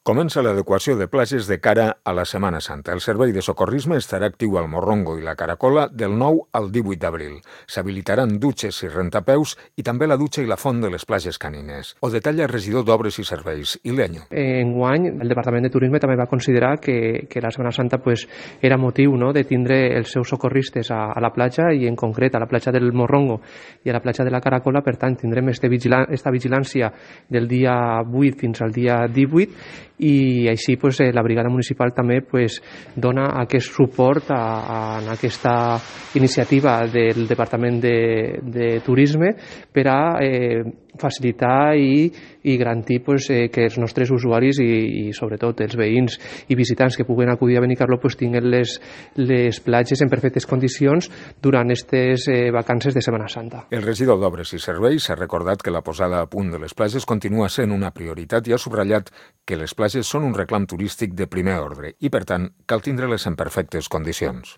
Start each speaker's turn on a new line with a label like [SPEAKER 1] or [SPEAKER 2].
[SPEAKER 1] Comença l'adequació de platges de cara a la Setmana Santa. El servei de socorrisme estarà actiu al Morrongo i la Caracola del 9 al 18 d'abril. S'habilitaran dutxes i rentapeus i també la dutxa i la font de les platges canines. Ho detalla el regidor d'Obres i Serveis, Ileño.
[SPEAKER 2] Enguany, el Departament de Turisme també va considerar que la Setmana Santa era motiu, no?, de tindre els seus socorristes a la platja i en concret a la platja del Morrongo i a la platja de la Caracola. Per tant, tindrem esta vigilància del dia 8 fins al dia 18 i així la brigada municipal també dona aquest suport a aquesta iniciativa del Departament de Turisme per a facilitar i garantir que els nostres usuaris i sobretot els veïns i visitants que puguen acudir a Benicarló tinguin les platges en perfectes condicions durant aquestes vacances de Setmana Santa.
[SPEAKER 1] El regidor d'Obres i Serveis ha recordat que la posada a punt de les platges continua sent una prioritat i ha subratllat que les platges són un reclam turístic de primer ordre i, per tant, cal tindre-les en perfectes condicions.